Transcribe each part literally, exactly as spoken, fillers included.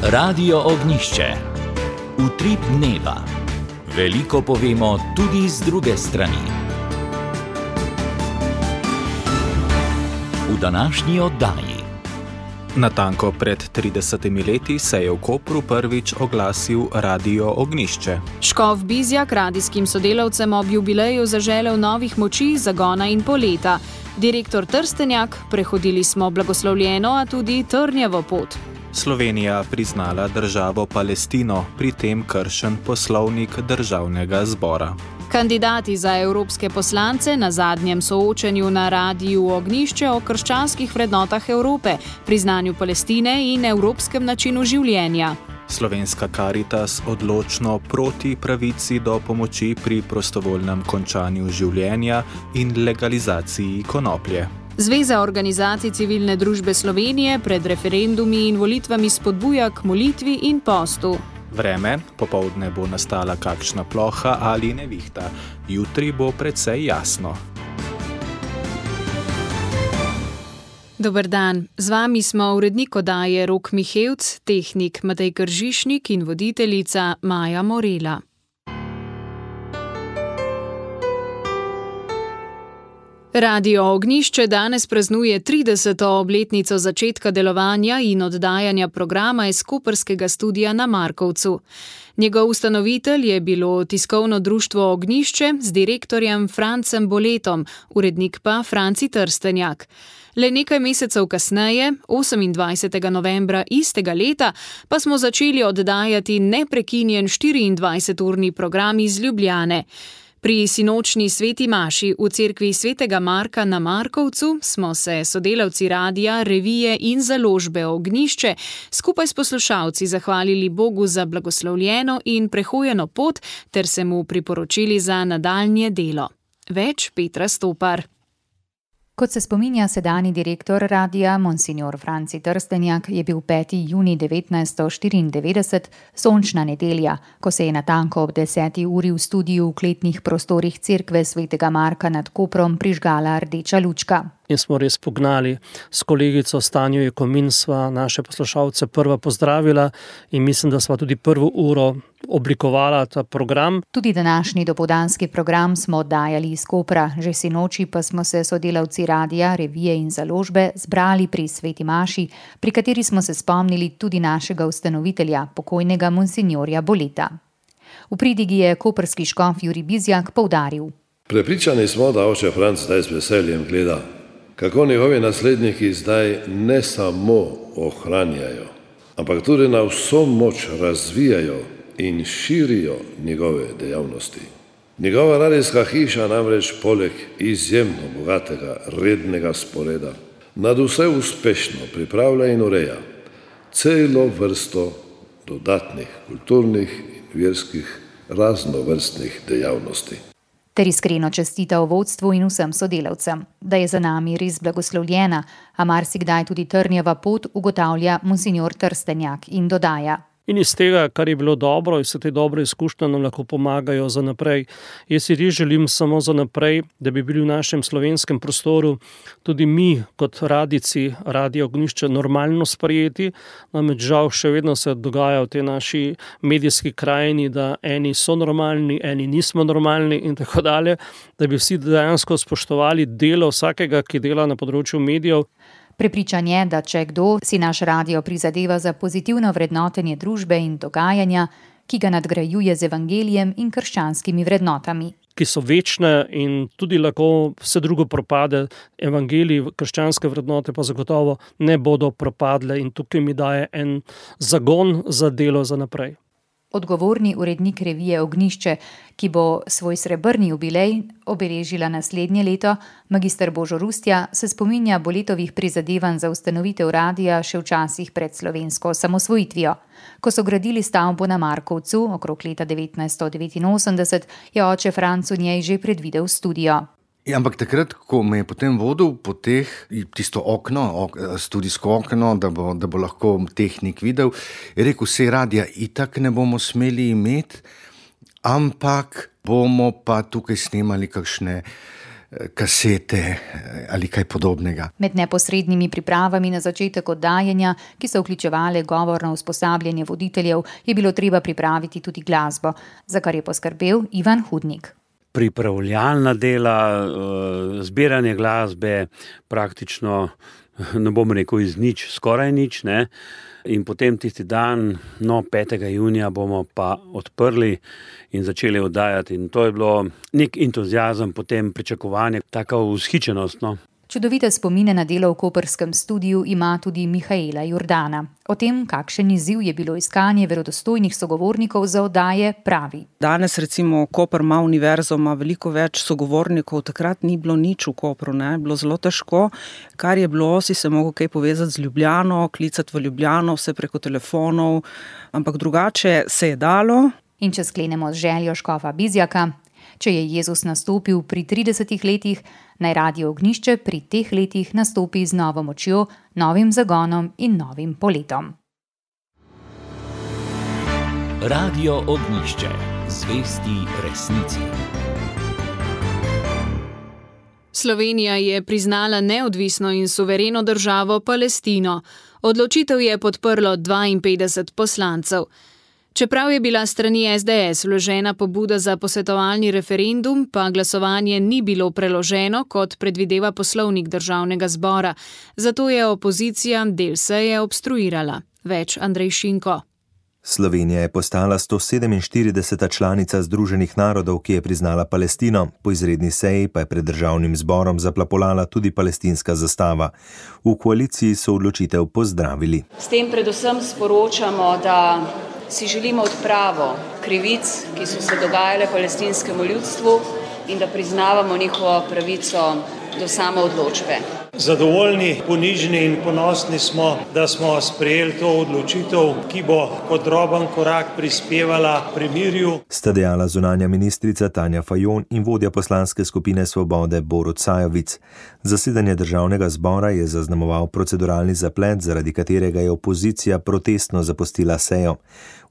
Radio Ognišče. Utrip dneva. Veliko povemo tudi z druge strani. V današnji oddaji. Natanko pred tridesetimi leti se je v Kopru prvič oglasil Radio Ognišče. Škof Bizjak radijskim sodelavcem ob jubileju zaželel novih moči, zagona in poleta. Direktor Trstenjak, prehodili smo blagoslovljeno, a tudi trnjavo pot. Slovenija priznala državo Palestino, pri tem kršen poslovnik državnega zbora. Kandidati za evropske poslance na zadnjem soočenju na Radiu Ognišče o krščanskih vrednotah Evrope, priznanju Palestine in evropskem načinu življenja. Slovenska Karitas odločno proti pravici do pomoči pri prostovoljnem končanju življenja in legalizaciji konoplje. Zveza organizacij civilne družbe Slovenije pred referendumi in volitvami spodbuja k molitvi in postu. Vreme, popoldne bo nastala kakšna ploha ali nevihta, jutri bo precej jasno. Dober dan, z vami smo urednik oddaje Rok Mihevc, tehnik Matej Kržišnik in voditeljica Maja Morela. Radio Ognišče danes praznuje trideseto obletnico začetka delovanja in oddajanja programa iz koprskega studia na Markovcu. Njegov ustanovitelj je bilo tiskovno društvo Ognišče z direktorjem Francem Boletom, urednik pa Franci Trstenjak. Le nekaj mesecev kasneje, osemindvajsetega novembra istega leta, pa smo začeli oddajati neprekinjen štiriindvajseturni program iz Ljubljane. Pri sinočni sveti maši v cerkvi svetega Marka na Markovcu smo se sodelavci radia, revije in založbe Ognišče skupaj s poslušalci zahvalili Bogu za blagoslovljeno in prehojeno pot ter se mu priporočili za nadaljnje delo. Več Petra Stopar. Kot se spominja sedanji direktor radia, monsignor Franci Trstenjak, je bil peti junij devetnajststo štiriindevetdeset sončna nedelja, ko se je natanko ob deseti uri v studiu v kletnih prostorih cerkve svetega Marka nad Koprom prižgala rdeča lučka. In smo res pognali s kolegico Stanjo Jekomin, sva naše poslušalce prva pozdravila in mislim, da sva tudi prvo uro oblikovala ta program. Tudi današnji dopoldanski program smo oddajali iz Kopra, že sinoči pa smo se sodelavci radia, revije in založbe zbrali pri sveti maši, pri kateri smo se spomnili tudi našega ustanovitelja, pokojnega monsinjorja Boleta. V pridigi je koprski škof Jurij Bizjak poudaril. Prepričani smo, da oče Franc zdaj z veseljem gleda, kako njegovi nasledniki zdaj ne samo ohranjajo, ampak tudi na vso moč razvijajo in širijo njegove dejavnosti. Njegova radijska hiša namreč poleg izjemno bogatega rednega sporeda nad vse uspešno pripravlja in ureja celo vrsto dodatnih kulturnih in verskih raznovrstnih dejavnosti. Ter iskreno čestita vodstvu in vsem sodelavcem, da je za nami res blagoslovljena, a marsikdaj tudi trnjava pot, ugotavlja monsignor Trstenjak in dodaja. In iz tega, kar je bilo dobro, iz te dobre izkušnje nam lahko pomagajo za naprej. Jaz si res želim samo za naprej, da bi bili v našem slovenskem prostoru tudi mi, kot radici, Radio Ognišče, normalno sprejeti. Namreč žal še vedno se dogaja v tej naši medijski krajini, da eni so normalni, eni nismo normalni in tako dalje, da bi vsi dejansko spoštovali delo vsakega, ki dela na področju medijev. Prepričan je, da če kdo si naš radio prizadeva za pozitivno vrednotenje družbe in dogajanja, ki ga nadgrajuje z evangelijem in krščanskimi vrednotami. Ki so večne in tudi lahko vse drugo propade, evangelij, krščanske vrednote pa zagotovo ne bodo propadle in tukaj mi daje en zagon za delo za naprej. Odgovorni urednik revije Ognišče, ki bo svoj srebrni jubilej obeležila naslednje leto, magister Božo Rustja, se spominja Boletovih prizadevanj za ustanovitev radia še včasih pred slovensko samosvojitvijo. Ko so gradili stavbo na Markovcu okrog leta devetnajststo devetinosemdeset, je oče Franc v njej že predvidel studio. Ja, ampak takrat, ko me je potem vodil po teh, tisto okno, ok, studijsko okno, da bo, da bo lahko tehnik videl, je rekel, vse radija itak ne bomo smeli imeti, ampak bomo pa tukaj snemali kakšne kasete ali kaj podobnega. Med neposrednimi pripravami na začetek oddajanja, ki so vključevale govorno usposabljanje voditeljev, je bilo treba pripraviti tudi glasbo, za kar je poskrbel Ivan Hudnik. Pripravljalna dela, zbiranje glasbe, praktično, ne bom rekel iz nič, skoraj nič, ne. In potem tisti dan, no, petega junija bomo pa odprli in začeli oddajati. In to je bilo nek entuziazem, potem pričakovanje, taka vzhičenost, no. Čudovite spomine na delo v koprskem studiu ima tudi Mihaela Jordana. O tem, kakšen izziv je bilo iskanje verodostojnih sogovornikov za oddaje, pravi. Danes recimo Koper ima univerzo, ima veliko več sogovornikov, takrat ni bilo nič v Kopru, ne, bilo zelo težko. Kar je bilo, si se mogel kaj povezati z Ljubljano, klicati v Ljubljano, vse preko telefonov, ampak drugače se je dalo. In če sklenemo z željo škofa Bizjaka, če je Jezus nastopil pri tridesetih letih, naj Radio Ognjišče pri teh letih nastopi z novo močjo, novim zagonom in novim poletom. Radio Ognjišče, zvesti resnici. Slovenija je priznala neodvisno in suvereno državo Palestino. Odločitev je podprlo dvainpetdeset poslancev. Čeprav je bila strani es de es vložena pobuda za posvetovalni referendum, pa glasovanje ni bilo preloženo, kot predvideva poslovnik državnega zbora. Zato je opozicija del seje obstruirala. Več Andrej Šinko. Slovenija je postala sto sedeminštirideseta članica Združenih narodov, ki je priznala Palestino. Po izredni seji pa je pred državnim zborom zaplapolala tudi palestinska zastava. V koaliciji so odločitev pozdravili. S tem predvsem sporočamo, da si želimo odpravo krivic, ki so se dogajale palestinskemu ljudstvu, in da priznavamo njihovo pravico do samoodločbe. Zadovoljni, ponižni in ponosni smo, da smo sprejeli to odločitev, ki bo kot droben korak prispevala premirju. Sta dejala zunanja ministrica Tanja Fajon in vodja poslanske skupine Svobode Borut Sajovic. Zasedanje državnega zbora je zaznamoval proceduralni zaplet, zaradi katerega je opozicija protestno zapustila sejo.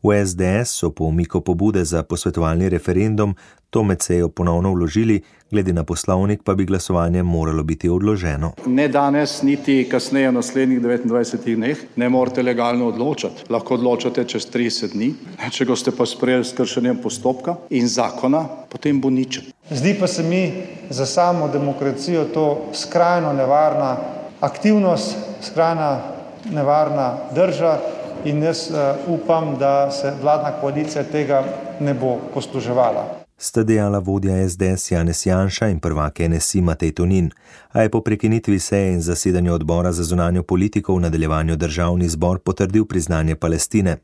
V es de es so po umiku pobude za posvetovalni referendum to med sejo ponovno vložili, glede na poslovnik pa bi glasovanje moralo biti odloženo. Ne danes, niti kasneje v naslednjih devetindvajsetih dneh ne morete legalno odločati. Lahko odločate čez trideset dni, če ga ste pa sprejeli s kršenjem postopka in zakona, potem bo ničen. Zdi pa se mi za samo demokracijo to skrajno nevarna aktivnost, skrajno nevarna drža. In jaz uh, upam, da se vladna koalicija tega ne bo posluževala. Sta dejala vodja es de es Janez Janša in prvak en es i Matej Tonin, a je po prekinitvi seje in zasedanju odbora za zunanjo politiko v nadaljevanju državni zbor potrdil priznanje Palestine.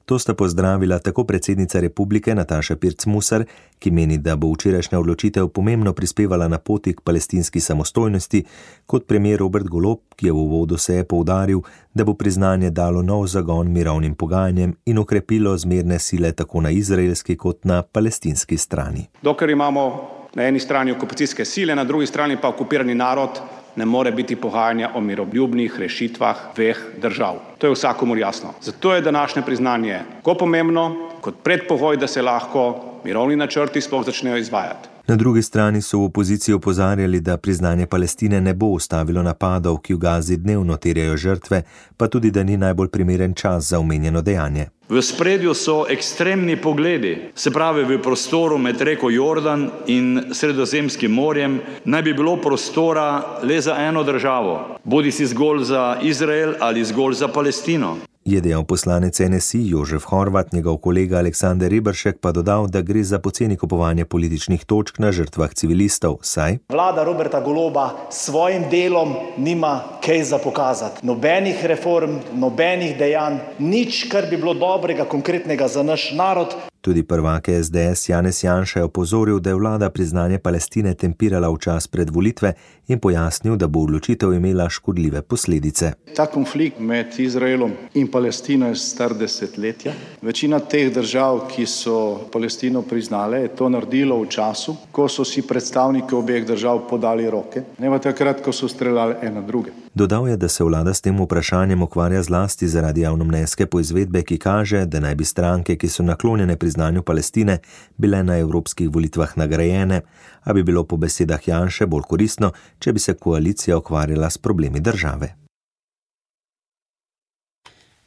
To sta pozdravila tako predsednica republike Nataša Pirc Musar, ki meni, da bo včerajšnja odločitev pomembno prispevala na poti k palestinski samostojnosti, kot premier Robert Golob, ki je v uvodu seje poudaril, da bo priznanje dalo nov zagon mirovnim pogajanjem in okrepilo zmerne sile tako na izraelski kot na palestinski strani. Dokler imamo na eni strani okupacijske sile, na drugi strani pa okupirani narod, ne more biti pogajanja o miroljubnih rešitvah dveh držav. To je vsakomur jasno. Zato je današnje priznanje tako pomembno kot predpogoj, da se lahko mirovni načrti sploh začnejo izvajati. Na drugi strani so v opoziciji opozarjali, da priznanje Palestine ne bo ustavilo napadov, ki v Gazi dnevno terjajo žrtve, pa tudi, da ni najbolj primeren čas za omenjeno dejanje. V spredju so ekstremni pogledi, se pravi v prostoru med reko Jordan in Sredozemskim morjem naj bi bilo prostora le za eno državo, bodisi zgolj za Izrael ali zgolj za Palestino. Je dejal poslanec en es i Jožef Horvat, njegov kolega Aleksander Reberšek pa dodal, da gre za poceni kupovanje političnih točk na žrtvah civilistov, saj vlada Roberta Goloba s svojim delom nima kaj za pokazati. Nobenih reform, nobenih dejanj, nič, kar bi bilo dobrega, konkretnega za naš narod. Tudi prvak es de es Janez Janša je opozoril, da je vlada priznanje Palestine tempirala v čas pred volitve in pojasnil, da bo odločitev imela škodljive posledice. Ta konflikt med Izraelom in Palestino je star desetletja. Večina teh držav, ki so Palestino priznale, je to naredilo v času, ko so si predstavniki obeh držav podali roke, ne pa takrat, ko so streljali ena druge. Dodal je, da se vlada s tem vprašanjem ukvarja zlasti zaradi javnomnenjske poizvedbe, ki kaže, da naj bi stranke, ki so naklonjene priznanju Palestine, bile na evropskih volitvah nagrajene, a bi bilo po besedah Janše bolj koristno, če bi se koalicija ukvarjala s problemi države.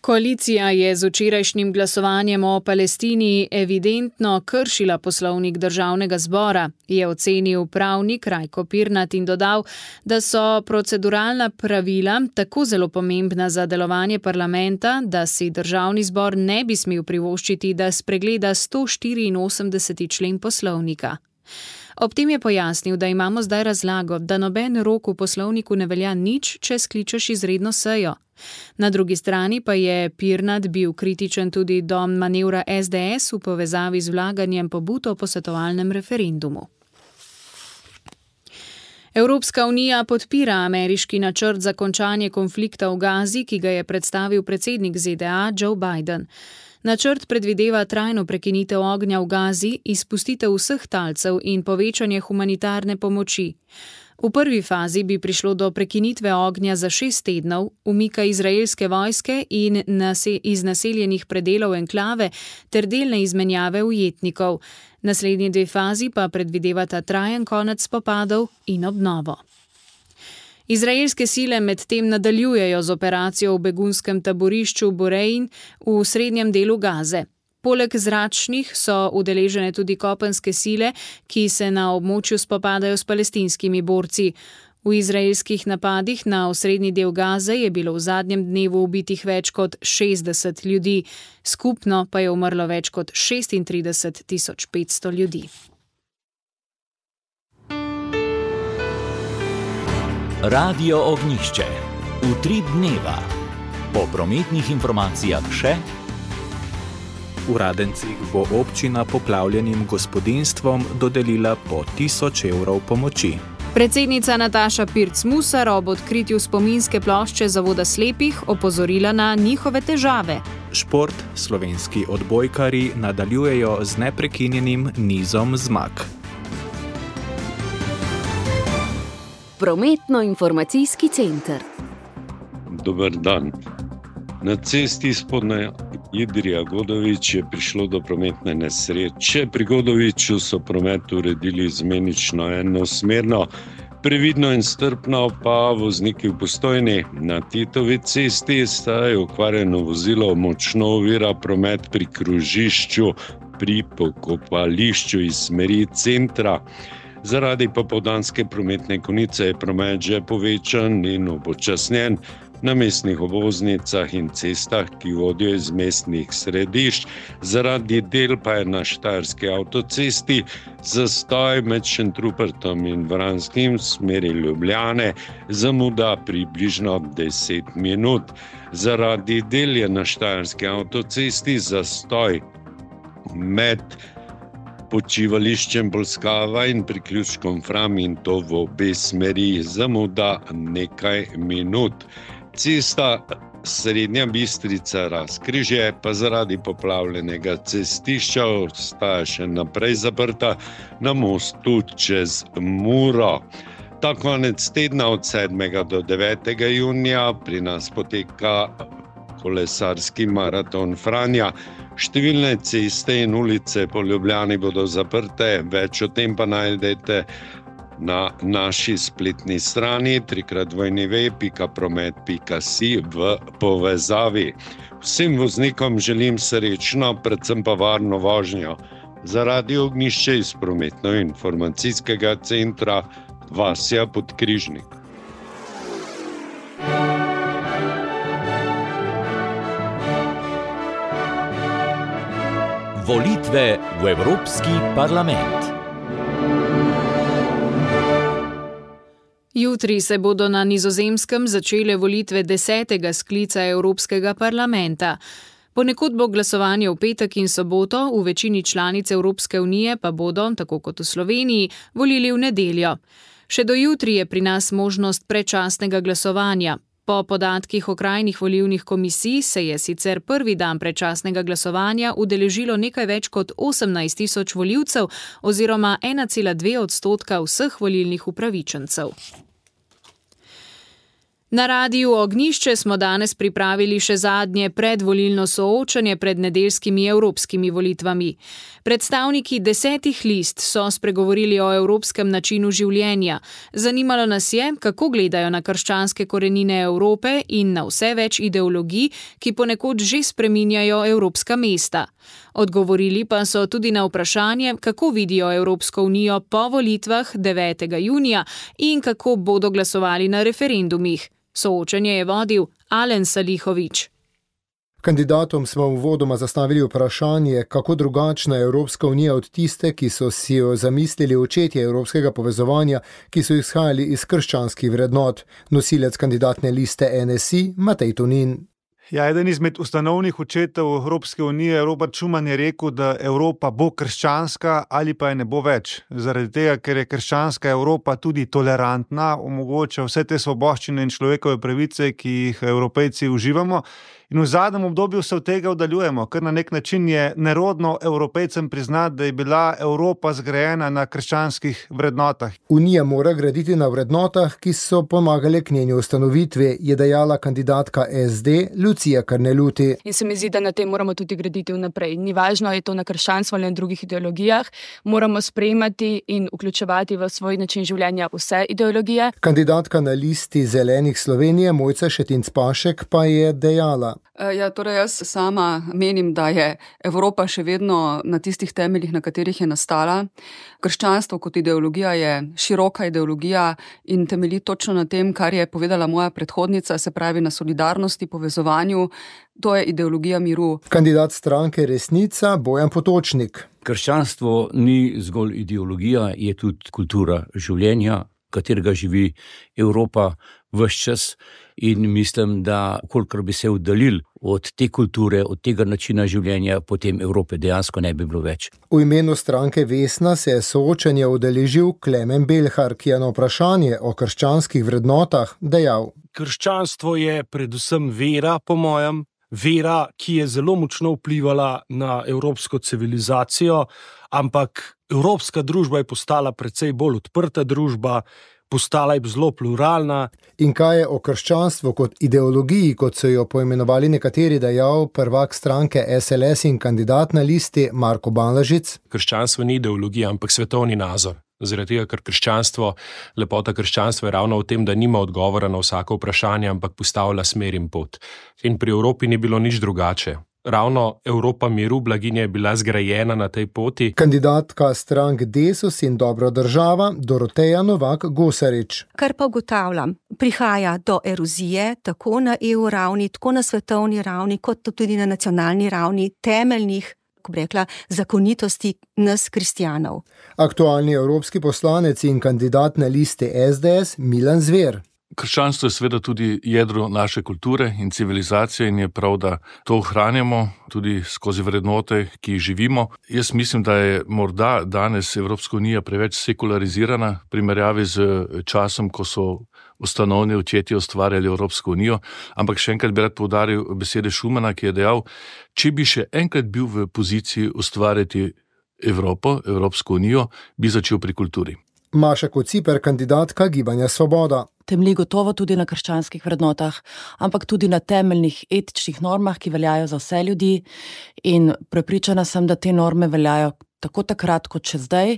Koalicija je z včerajšnjim glasovanjem o Palestini evidentno kršila poslovnik državnega zbora, je ocenil pravnik Rajko Pirnat in dodal, da so proceduralna pravila tako zelo pomembna za delovanje parlamenta, da si državni zbor ne bi smel privoščiti, da spregleda sto štiriinosemdeseti člen poslovnika. Ob tem je pojasnil, da imamo zdaj razlago, da noben rok v poslovniku ne velja nič, če skličeš izredno sejo. Na drugi strani pa je Pirnat bil kritičen tudi do manevra es de es v povezavi z vlaganjem pobud o posvetovalnem referendumu. Evropska unija podpira ameriški načrt za končanje konflikta v Gazi, ki ga je predstavil predsednik ze de a Joe Biden. Načrt predvideva trajno prekinitev ognja v Gazi, izpustitev vseh talcev in povečanje humanitarne pomoči. V prvi fazi bi prišlo do prekinitve ognja za šest tednov, umika izraelske vojske in nase- iz naseljenih predelov enklave ter delne izmenjave ujetnikov. Naslednji dve fazi pa predvidevata trajen konec spopadov in obnovo. Izraelske sile medtem nadaljujejo z operacijo v begunskem taborišču Burein v srednjem delu Gaze. Poleg zračnih so udeležene tudi kopenske sile, ki se na območju spopadajo s palestinskimi borci. V izraelskih napadih na osrednji del Gaze je bilo v zadnjem dnevu ubitih več kot šestdeset ljudi, skupno pa je umrlo več kot šestintrideset tisoč petsto ljudi. Radio Ognjišče. Utrip dneva. Po prometnih informacijah še. V Radencih bo občina poplavljenim gospodinjstvom dodelila po tisoč evrov pomoči. Predsednica Nataša Pirc-Musar ob odkritju spominske plošče Zavoda slepih opozorila na njihove težave. Šport, slovenski odbojkarji nadaljujejo z neprekinjenim nizom zmag. Prometno-informacijski center. Dober dan. Na cesti Spodnja Idrija-Godovič je prišlo do prometne nesreče. Pri Godoviču so promet uredili izmenično enosmerno, previdno in strpno pa vozniki v Postojni. Na Titovi cesti sta je okvarjeno vozilo močno ovira promet pri krožišču pri pokopališču iz smeri centra. Zaradi popoldanske prometne konice je promet že povečan in upočasnjen na mestnih obvoznicah in cestah, ki vodijo iz mestnih središč. Zaradi del pa je na Štajerski avtocesti zastoj med Šentrupertom in Vranskim v smeri Ljubljane, zamuda približno deset minut. Zaradi del je na Štajerski avtocesti zastoj med počivališčem Bolskava in priključkom Fram in to v obe smeri, zamuda nekaj minut. Cesta Srednja Bistrica Razkrižje pa zaradi poplavljenega cestišča ostaja še naprej zaprta na mostu čez Muro. Ta konec tedna od sedmega do devetega junija pri nas poteka kolesarski maraton Franja. Številne ceste in ulice po Ljubljani bodo zaprte, več o tem pa najdete na naši spletni strani trikrat dvojni ve pika promet pika si v povezavi. Vsem voznikom želim srečno, predvsem pa varno vožnjo. Za Radio Ognjišče iz prometno-informacijskega centra Vasja Podkrižnik. Volitve v Evropski parlament. Jutri se bodo na Nizozemskem začele volitve desetega sklica Evropskega parlamenta. Ponekod bo glasovanje v petek in soboto, v večini članic Evropske unije pa bodo, tako kot v Sloveniji, volili v nedeljo. Še do jutri je pri nas možnost predčasnega glasovanja. Po podatkih okrajnih volilnih komisij se je sicer prvi dan predčasnega glasovanja udeležilo nekaj več kot osemnajst tisoč volivcev oziroma ena cela dve odstotka vseh volilnih upravičencev. Na Radiu Ognjišče smo danes pripravili še zadnje predvolilno soočanje pred nedeljskimi evropskimi volitvami. Predstavniki desetih list so spregovorili o evropskem načinu življenja. Zanimalo nas je, kako gledajo na krščanske korenine Evrope in na vse več ideologij, ki ponekod že spreminjajo evropska mesta. Odgovorili pa so tudi na vprašanje, kako vidijo Evropsko unijo po volitvah devetega junija in kako bodo glasovali na referendumih. Soočenje je vodil Alen Salihović. Kandidatom smo uvodoma zastavili vprašanje, kako drugačna je Evropska unija od tiste, ki so si jo zamislili očetje evropskega povezovanja, ki so izhajali iz krščanskih vrednot. Nosilec kandidatne liste N S I, Matej Tonin. Ja, eden izmed ustanovnih očetov Evropske unije, Robert Schuman, je rekel, da Evropa bo krščanska ali pa je ne bo več. Zaradi tega, ker je krščanska Evropa tudi tolerantna, omogoča vse te svoboščine in človekove pravice, ki jih Evropejci uživamo. In v zadnjem obdobju se od tega oddaljujemo, ker na nek način je nerodno Evropejcem priznati, da je bila Evropa zgrajena na krščanskih vrednotah. Unija mora graditi na vrednotah, ki so pomagale k njeni ustanovitvi, je dejala kandidatka S D Lucija Karneluti. In se mi zdi, da na tem moramo tudi graditi vnaprej. Ni važno, je to na krščanstvu ali na drugih ideologijah. Moramo sprejemati in vključevati v svoj način življenja vse ideologije. Kandidatka na listi Zelenih Slovenije, Mojca Šetinc Pašek, pa je dejala. Ja, torej jaz sama menim, da je Evropa še vedno na tistih temeljih, na katerih je nastala. Krščanstvo kot ideologija je široka ideologija in temelji točno na tem, kar je povedala moja predhodnica, se pravi na solidarnosti, povezovanju. To je ideologija miru. Kandidat stranke Resnica, Bojan Potočnik. Krščanstvo ni zgolj ideologija, je tudi kultura življenja, katerega živi Evropa ves čas. In mislim, da kolikor bi se oddaljili od te kulture, od tega načina življenja, potem Evrope dejansko ne bi bilo več. V imenu stranke Vesna se je soočenje udeležil Klemen Belhar, ki je na vprašanje o krščanskih vrednotah dejal. Krščanstvo je predvsem vera, po mojem, vera, ki je zelo močno vplivala na evropsko civilizacijo, ampak evropska družba je postala precej bolj odprta družba, postala je zelo pluralna. In kaj je o krščanstvu kot ideologiji, kot so jo poimenovali nekateri, dejal prvak stranke S L S in kandidat na listi Marko Banlažic? Krščanstvo ni ideologija, ampak svetovni nazor. Zaradi tega, ker krščanstvo, lepota krščanstva je ravno v tem, da nima odgovora na vsako vprašanje, ampak postavlja smer in pot. In pri Evropi ni bilo nič drugače. Ravno Evropa miru, blaginja je bila zgrajena na tej poti. Kandidatka strank Desus in Dobro država, Doroteja Novak-Gosarič. Kar pa ugotavljam, prihaja do erozije, tako na E U ravni, tako na svetovni ravni, kot tudi na nacionalni ravni, temeljnih, ko bi rekla, zakonitosti nas kristjanov. Aktualni evropski poslanec in kandidat na listi S D S, Milan Zver. Krščanstvo je seveda tudi jedro naše kulture in civilizacije in je prav, da to ohranjamo tudi skozi vrednote, ki jih živimo. Jaz mislim, da je morda danes Evropska unija preveč sekularizirana v primerjavi z časom, ko so ustanovni očetje ustvarjali Evropsko unijo, ampak še enkrat bi rad poudaril besede Schumana, ki je dejal, če bi še enkrat bil v poziciji ustvarjati Evropo, Evropsko unijo, bi začel pri kulturi. Maša Kociper, kandidatka Gibanja Svoboda. Temelji gotovo tudi na krščanskih vrednotah, ampak tudi na temeljnih etičnih normah, ki veljajo za vse ljudi, in prepričana sem, da te norme veljajo tako takrat kot še zdaj.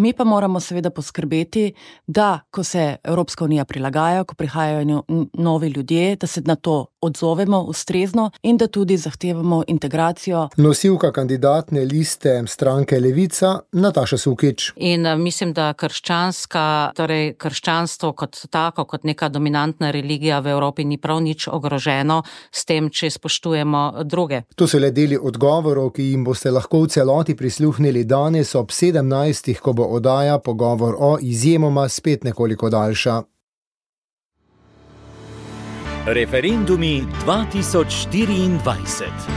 Mi pa moramo seveda poskrbeti, da ko se Evropska unija prilagaja, ko prihajajo novi ljudje, da se na to odzovemo ustrezno in da tudi zahtevamo integracijo. Nosilka kandidatne liste stranke Levica, Nataša Sukič. In mislim, da krščanska, torej krščanstvo kot tako, kot neka dominantna religija v Evropi ni prav nič ogroženo s tem, če spoštujemo druge. To so le deli odgovorov, ki jim boste lahko v celoti prisluhnili danes ob sedemnajstih, ko bo oddaja Pogovor o izjemoma spet nekoliko daljša. Referendumi dva tisoč štiriindvajset.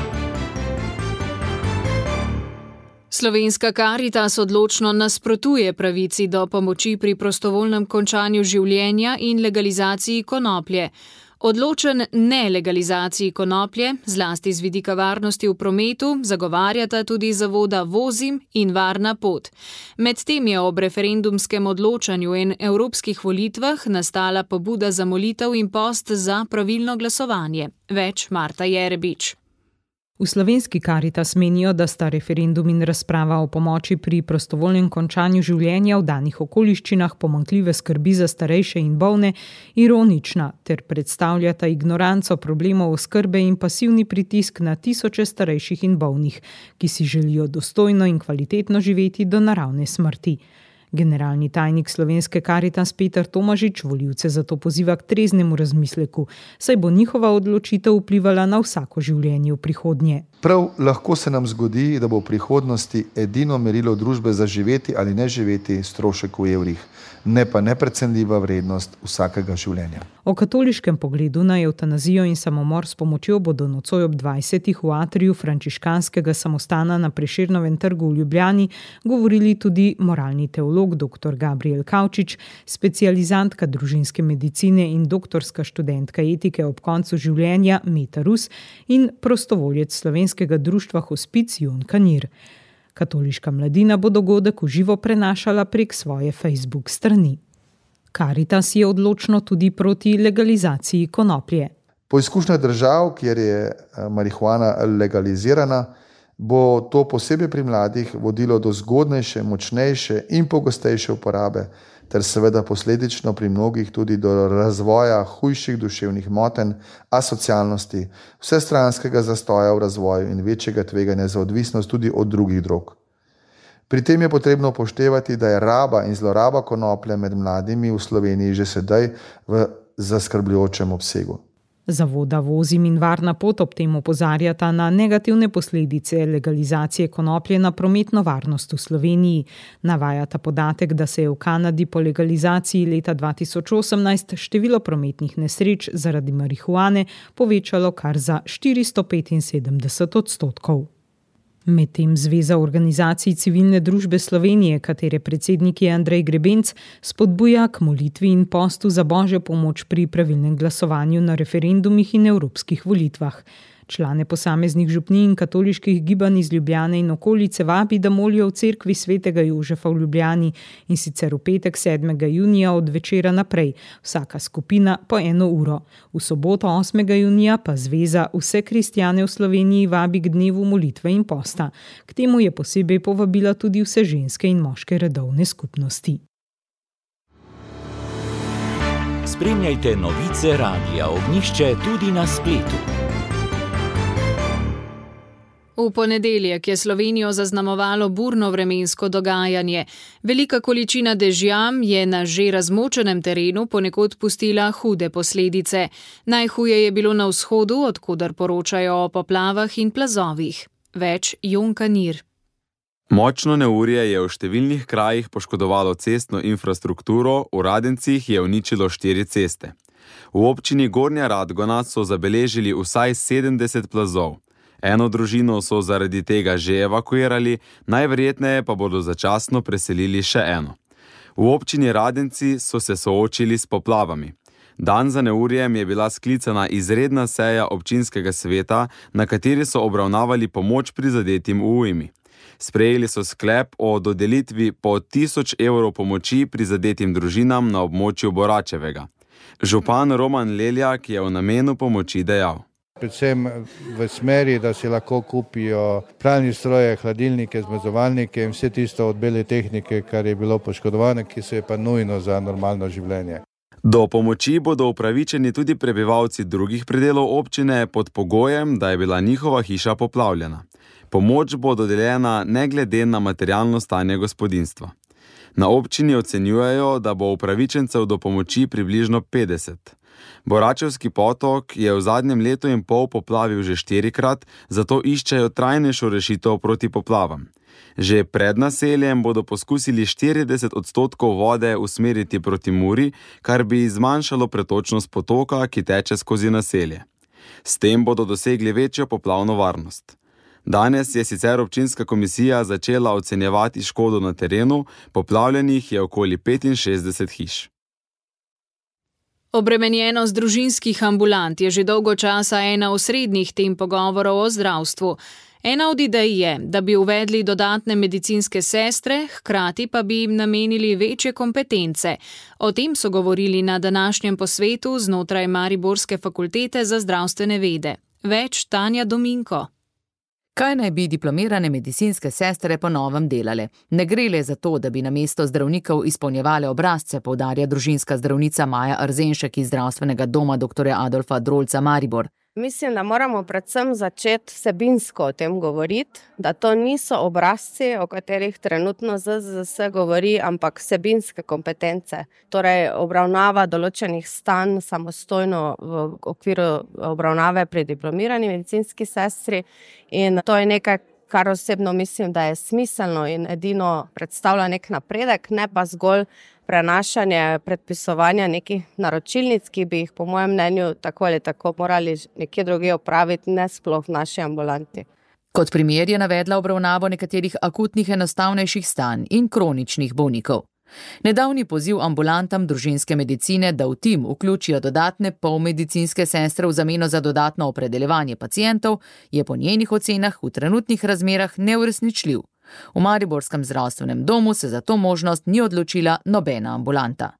Slovenska Karitas odločno nasprotuje pravici do pomoči pri prostovoljnem končanju življenja in legalizaciji konoplje. Odločen nelegalizaciji konoplje, zlasti z vidika varnosti v prometu, zagovarjata tudi zavoda Vozim in Varna pot. Medtem je ob referendumskem odločanju in evropskih volitvah nastala pobuda za molitev in post za pravilno glasovanje. Več Marta Jerebič. V slovenski Karitas menijo, da sta referendum in razprava o pomoči pri prostovoljnem končanju življenja v danih okoliščinah pomanjkljive skrbi za starejše in bolne ironična ter predstavljata ignoranco problemov oskrbe in pasivni pritisk na tisoče starejših in bolnih, ki si želijo dostojno in kvalitetno živeti do naravne smrti. Generalni tajnik slovenske Karitas Peter Tomažič volivce zato poziva k treznemu razmisleku, saj bo njihova odločitev vplivala na vsako življenje v prihodnje. Prav lahko se nam zgodi, da bo v prihodnosti edino merilo družbe za živeti ali ne živeti strošek v evrih, ne pa neprecenljiva vrednost vsakega življenja. O katoliškem pogledu na evtanazijo in samomor s pomočjo bodo nocoj ob dvajsetih v atriju frančiškanskega samostana na Prešernovem trgu v Ljubljani govorili tudi moralni teolog dr. Gabriel Kavčič, specializantka družinske medicine in doktorska študentka etike ob koncu življenja Meta Rus in prostovoljec slovenskega društva Hospic Jon Kanir. Katoliška mladina bo dogodek v živo prenašala prek svoje Facebook strani. Karitas je odločno tudi proti legalizaciji konoplje. Po izkušnjah držav, kjer je marihuana legalizirana, bo to posebej pri mladih vodilo do zgodnejše, močnejše in pogostejše uporabe, ter seveda posledično pri mnogih tudi do razvoja hujših duševnih motenj, asocialnosti, vsestranskega zastoja v razvoju in večjega tveganja za odvisnost tudi od drugih drog. Pri tem je potrebno upoštevati, da je raba in zloraba konoplje med mladimi v Sloveniji že sedaj v zaskrbljujočem obsegu. Zavoda Vozim in Varna pot ob tem opozarjata na negativne posledice legalizacije konoplje na prometno varnost v Sloveniji. Navajata podatek, da se je v Kanadi po legalizaciji leta dva tisoč osemnajst število prometnih nesreč zaradi marihuane povečalo kar za štiristo petinsedemdeset odstotkov. Medtem Zveza organizacij civilne družbe Slovenije, katere predsednik je Andrej Grebenc, spodbuja k molitvi in postu za božjo pomoč pri pravilnem glasovanju na referendumih in evropskih volitvah. Člane posameznih župnij in katoliških gibanj iz Ljubljane in okolice vabi, da molijo v cerkvi svetega Jožefa v Ljubljani in sicer v petek sedmega junija od večera naprej, vsaka skupina po eno uro. V soboto osmega junija pa Zveza vse kristjane v Sloveniji vabi k dnevu molitve in posta. K temu je posebej povabila tudi vse ženske in moške redovne skupnosti. Spremljajte novice Radia Ognjišče tudi na spletu. V ponedeljek je Slovenijo zaznamovalo burno vremensko dogajanje. Velika količina dežja je na že razmočenem terenu ponekod pustila hude posledice. Najhuje je bilo na vzhodu, odkudar poročajo o poplavah in plazovih. Več Jon Kanir. Močno neurje je v številnih krajih poškodovalo cestno infrastrukturo, v Radencih je uničilo štiri ceste. V občini Gornja Radgona so zabeležili vsaj sedemdeset plazov. Eno družino so zaradi tega že evakuirali, najverjetneje pa bodo začasno preselili še eno. V občini Radenci so se soočili s poplavami. Dan za neurjem je bila sklicana izredna seja občinskega sveta, na kateri so obravnavali pomoč prizadetim v ujmi. Sprejeli so sklep o dodelitvi po tisoč evrov pomoči prizadetim družinam na območju Boračevega. Župan Roman Leljak je o namenu pomoči dejal. Predvsem v smeri, da si lahko kupijo pralni stroje, hladilnike, zmrzovalnike in vse tisto od bele tehnike, kar je bilo poškodovano, ki se je pa nujno za normalno življenje. Do pomoči bodo upravičeni tudi prebivalci drugih predelov občine pod pogojem, da je bila njihova hiša poplavljena. Pomoč bo dodeljena ne glede na materialno stanje gospodinjstva. Na občini ocenjujejo, da bo upravičencev do pomoči približno petdeset. Boračevski potok je v zadnjem letu in pol poplavil že štirikrat, zato iščejo trajnejšo rešitev proti poplavam. Že pred naseljem bodo poskusili štirideset odstotkov vode usmeriti proti Muri, kar bi zmanjšalo pretočnost potoka, ki teče skozi naselje. S tem bodo dosegli večjo poplavno varnost. Danes je sicer občinska komisija začela ocenjevati škodo na terenu, poplavljenih je okoli petinšestdeset hiš. Obremenjenost družinskih ambulant je že dolgo časa ena osrednjih tem pogovorov o zdravstvu. Ena od idej je, da bi uvedli dodatne medicinske sestre, hkrati pa bi jim namenili večje kompetence. O tem so govorili na današnjem posvetu znotraj Mariborske fakultete za zdravstvene vede. Več Tanja Dominko. Kaj naj bi diplomirane medicinske sestre po novem delale? Ne gre le za to, da bi namesto zdravnikov izpolnjevale obrazce, poudarja družinska zdravnica Maja Arzenšek iz zdravstvenega doma doktorja Adolfa Drolca Maribor. Mislim, da moramo predvsem začeti vsebinsko o tem govoriti, da to niso obrazci, o katerih trenutno Z Z S govori, ampak vsebinske kompetence. Torej obravnava določenih stanj samostojno v okviru obravnave pri diplomirani medicinski sestri in to je nekaj, kar osebno mislim, da je smiselno in edino predstavlja nek napredek, ne pa zgolj prenašanje predpisovanja nekih naročilnic, ki bi jih po mojem mnenju tako ali tako morali nekje drugje opraviti, ne sploh v naši ambulanti. Kot primer je navedla obravnavo nekaterih akutnih enostavnejših stanj in kroničnih bolnikov. Nedavni poziv ambulantam družinske medicine, da v tim vključijo dodatne polmedicinske sestre v zameno za dodatno opredeljevanje pacientov, je po njenih ocenah v trenutnih razmerah neuresničljiv. V Mariborskem zdravstvenem domu se za to možnost ni odločila nobena ambulanta.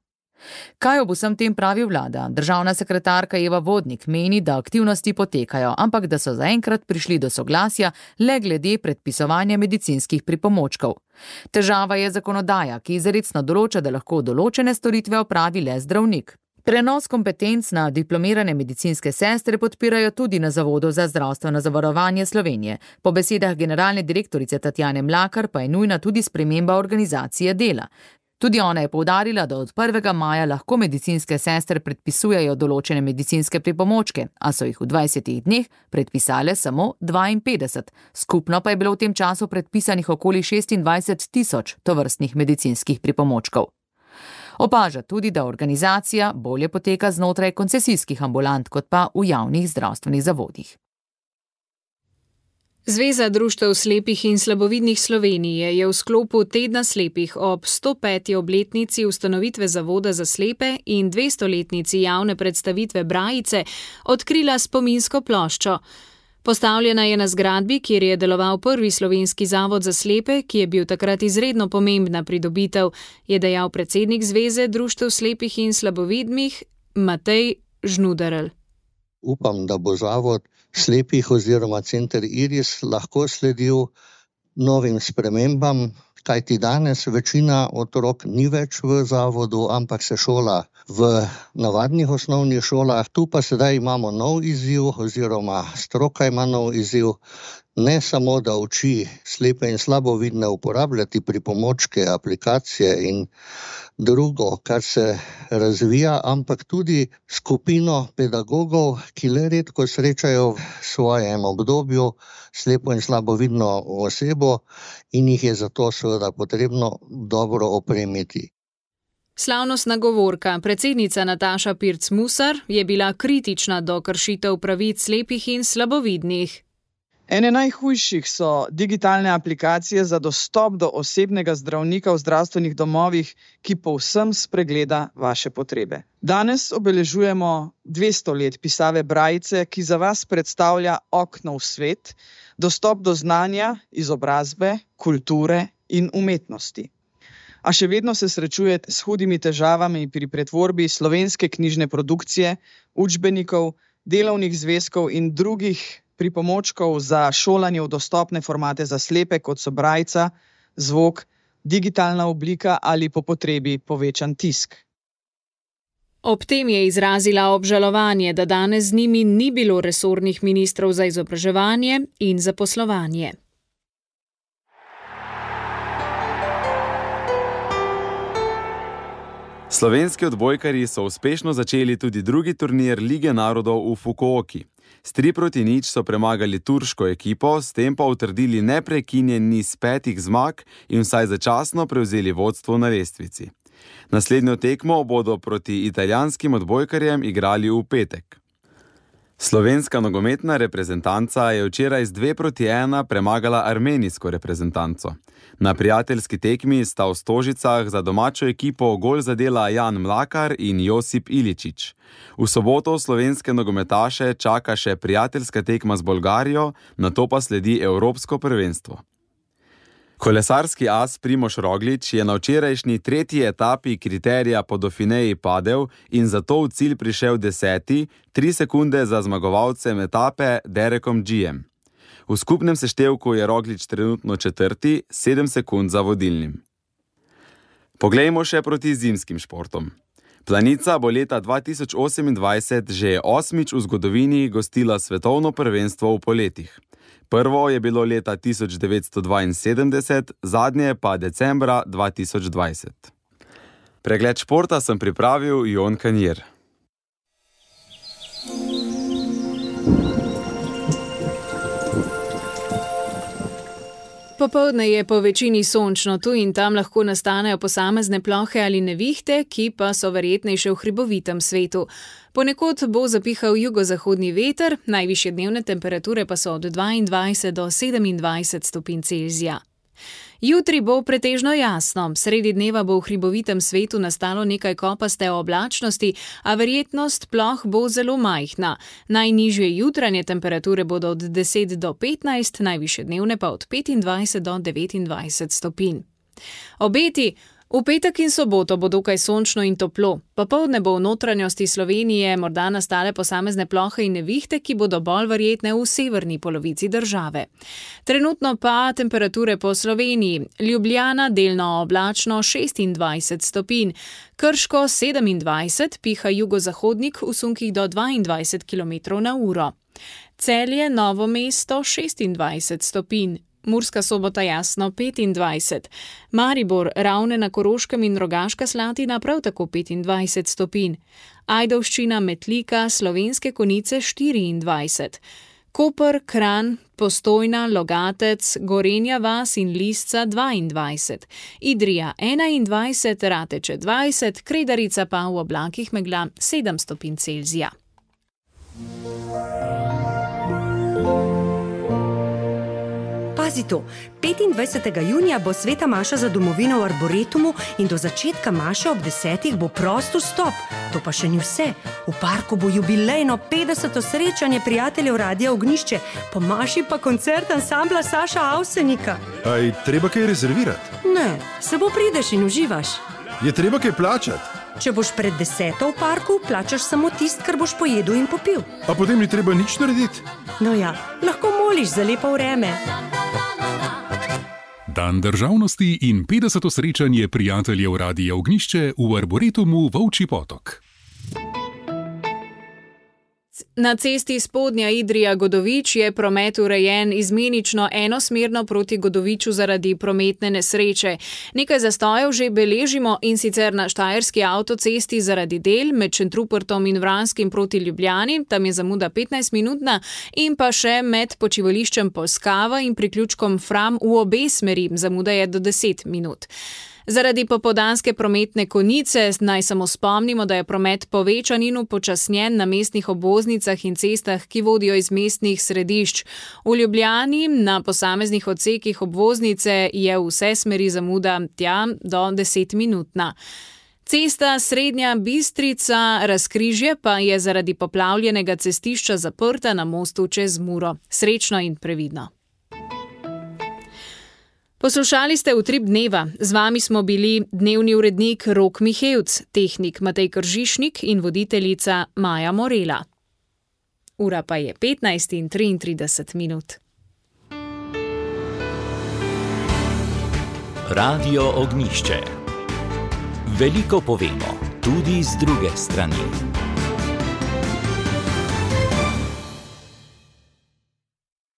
Kaj ob vsem tem pravi vlada? Državna sekretarka Eva Vodnik meni, da aktivnosti potekajo, ampak da so zaenkrat prišli do soglasja le glede predpisovanja medicinskih pripomočkov. Težava je zakonodaja, ki izrecno določa, da lahko določene storitve opravi le zdravnik. Prenos kompetenc na diplomirane medicinske sestre podpirajo tudi na Zavodu za zdravstveno zavarovanje Slovenije. Po besedah generalne direktorice Tatjane Mlakar pa je nujna tudi sprememba organizacije dela. Tudi ona je poudarila, da od prvega maja lahko medicinske sestre predpisujejo določene medicinske pripomočke, a so jih v dvajsetih dneh predpisale samo dvainpetdeset. Skupno pa je bilo v tem času predpisanih okoli šestindvajset tisoč tovrstnih medicinskih pripomočkov. Opaža tudi, da organizacija bolje poteka znotraj koncesijskih ambulant, kot pa v javnih zdravstvenih zavodih. Zveza društev slepih in slabovidnih Slovenije je v sklopu Tedna slepih ob sto peti obletnici ustanovitve Zavoda za slepe in dvestoletnici javne predstavitve Brajice odkrila spominsko ploščo. Postavljena je na zgradbi, kjer je deloval prvi slovenski zavod za slepe, ki je bil takrat izredno pomembna pridobitev, je dejal predsednik Zveze društev slepih in slabovidnih Matej Žnuderl. Upam, da bo zavod slepih oziroma center Iris lahko sledil novim spremembam, kajti danes večina otrok ni več v zavodu, ampak se šola v navadnih osnovnih šolah. Tu pa sedaj imamo nov izziv oziroma stroka ima nov izziv. Ne samo, da uči slepe in slabovidne uporabljati pripomočke, aplikacije in drugo, kar se razvija, ampak tudi skupino pedagogov, ki le redko srečajo v svojem obdobju slepo in slabovidno osebo in jih je zato seveda potrebno dobro opremiti. Slavnostna govorka, predsednica Nataša Pirc-Musar, je bila kritična do kršitev pravic slepih in slabovidnih. Ene najhujših so digitalne aplikacije za dostop do osebnega zdravnika v zdravstvenih domovih, ki povsem spregleda vaše potrebe. Danes obeležujemo dvesto let pisave Brajice, ki za vas predstavlja okno v svet, dostop do znanja, izobrazbe, kulture in umetnosti. A še vedno se srečujete s hudimi težavami pri pretvorbi slovenske knjižne produkcije, učbenikov, delovnih zvezkov in drugih pripomočkov za šolanje v dostopne formate za slepe, kot so Brajica, zvok, digitalna oblika ali po potrebi povečan tisk. Ob tem je izrazila obžalovanje, da danes z njimi ni bilo resornih ministrov za izobraževanje in zaposlovanje. Slovenski odbojkarji so uspešno začeli tudi drugi turnir Lige narodov v Fukuoki. S tri proti nič so premagali turško ekipo, s tem pa utrdili neprekinjen niz petih zmag in vsaj začasno prevzeli vodstvo na lestvici. Naslednjo tekmo bodo proti italijanskim odbojkarjem igrali v petek. Slovenska nogometna reprezentanca je včeraj z dve proti ena premagala armenijsko reprezentanco. Na prijateljski tekmi sta v Stožicah za domačo ekipo gol zadela Jan Mlakar in Josip Iličić. V soboto slovenske nogometaše čaka še prijateljska tekma z Bolgarijo, nato pa sledi Evropsko prvenstvo. Kolesarski as Primož Roglič je na včerajšnji tretji etapi kriterija po Dauphineji padel in zato v cilj prišel deseti, tri sekunde za zmagovalcem etape Derekom Giem. V skupnem seštevku je Roglič trenutno četrti, sedem sekund za vodilnim. Poglejmo še proti zimskim športom. Planica bo leta dva tisoč osemindvajset že osmič v zgodovini gostila svetovno prvenstvo v poletih. Prvo je bilo leta tisoč devetsto dvainsedemdeset, zadnje pa decembra dva tisoč dvajset. Pregled športa sem pripravil Jon Kanjer. Popoldne je po večini sončno, tu in tam lahko nastanejo posamezne plohe ali nevihte, ki pa so verjetnejše v hribovitem svetu. Ponekod bo zapihal jugozahodni veter, najvišje dnevne temperature pa so od dvaindvajset do sedemindvajset stopinj Celzija. Jutri bo pretežno jasno, sredi dneva bo v hribovitem svetu nastalo nekaj kopaste oblačnosti, a verjetnost ploh bo zelo majhna. Najnižje jutranje temperature bodo od deset do petnajst, najvišje dnevne pa od petindvajset do devetindvajset stopinj. Obeti. V petek in soboto bo dokaj sončno in toplo. Popoldne bo v notranjosti Slovenije morda nastale posamezne plohe in nevihte, ki bodo bolj verjetne v severni polovici države. Trenutno pa temperature po Sloveniji. Ljubljana delno oblačno šestindvajset stopinj, Krško sedemindvajset, piha jugozahodnik v sunkih do dvaindvajset kilometrov na uro. Celje, Novo mesto šestindvajset stopinj. Murska Sobota jasno petindvajset, Maribor, Ravne na Koroškem in Rogaška Slatina prav tako petindvajset stopinj, Ajdovščina, Metlika, Slovenske Konjice štiriindvajset, Koper, Kranj, Postojna, Logatec, Gorenja vas in Lisca dvaindvajset, Idrija enaindvajset, Rateče dvajset, Kredarica pa v oblakih megla sedem stopinj Celzija. Pazi to, petindvajsetega junija bo sveta maša za domovino v Arboretumu in do začetka maše ob desetih bo prost vstop. To pa še ni vse. V parku bo jubilejno petdeseto srečanje prijateljev Radia Ognjišče, po maši pa koncert ansambla Saša Avsenika. Aj treba kaj rezervirati? Ne, samo prideš in uživaš. Je treba kaj plačati? Če boš pred deseto v parku, plačaš samo tist, kar boš pojedel in popil. A potem ni treba nič narediti? No ja, lahko moliš za lepo vreme. Dan državnosti in petdeseto srečanje prijateljev Radia Ognjišče v Arboretumu Volčji Potok. Na cesti Spodnja Idrija-Godovič je promet urejen izmenično enosmerno proti Godoviču zaradi prometne nesreče. Nekaj zastojev že beležimo in sicer na štajerski avtocesti zaradi del med Šentrupertom in Vranskim proti Ljubljani, tam je zamuda petnajst minutna, in pa še med počivališčem Polskava in priključkom Fram v obe smeri, zamuda je do deset minut. Zaradi popoldanske prometne konice naj samo spomnimo, da je promet povečan in upočasnjen na mestnih obvoznicah in cestah, ki vodijo iz mestnih središč. V Ljubljani na posameznih odsekih obvoznice je vse smeri zamuda tja do deset minutna. Cesta Srednja Bistrica Razkrižje pa je zaradi poplavljenega cestišča zaprta na mostu čez Muro. Srečno in previdno. Poslušali ste Utrip dneva. Z vami smo bili dnevni urednik Rok Mihevc, tehnik Matej Kržišnik in voditeljica Maja Morela. Ura pa je petnajst in triintrideset minut. Radio Ognjišče. Veliko povemo, tudi z druge strani.